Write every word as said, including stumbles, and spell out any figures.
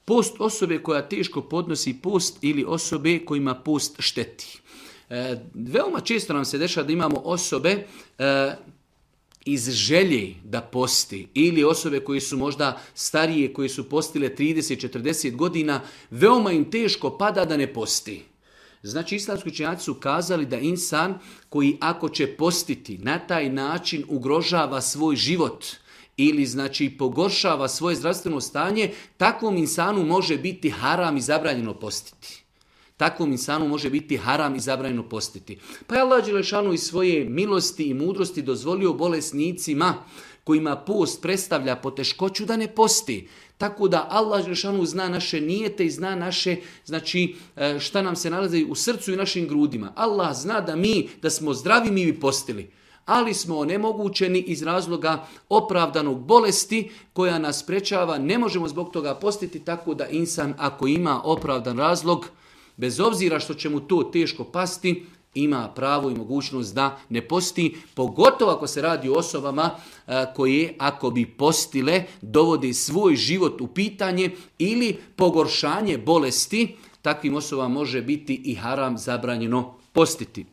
Post osobe koja teško podnosi post ili osobe kojima post šteti. E, veoma često nam se dešava da imamo osobe e, iz želje da posti ili osobe koje su možda starije, koje su postile trideset četrdeset godina, veoma im teško pada da ne posti. Znači, islamski učenjaci su kazali da insan koji ako će postiti na taj način ugrožava svoj život ili znači pogoršava svoje zdravstveno stanje, takvom insanu može biti haram i zabranjeno postiti. Takvom insanu može biti haram i zabranjeno postiti. Pa je Allah dželešanu iz svoje milosti i mudrosti dozvolio bolesnicima kojima post predstavlja poteškoću da ne posti. Tako da Allah dželešanu zna naše nijete i zna naše, znači šta nam se nalazi u srcu i našim grudima. Allah zna da mi, da smo zdravi, mi bi postili. Ali smo onemogućeni iz razloga opravdanog bolesti koja nas sprečava. Ne možemo zbog toga postiti, tako da insan ako ima opravdan razlog, bez obzira što će mu to teško pasti, ima pravo i mogućnost da ne posti, pogotovo ako se radi o osobama koje, ako bi postile, dovode svoj život u pitanje ili pogoršanje bolesti, takvim osobama može biti i haram zabranjeno postiti.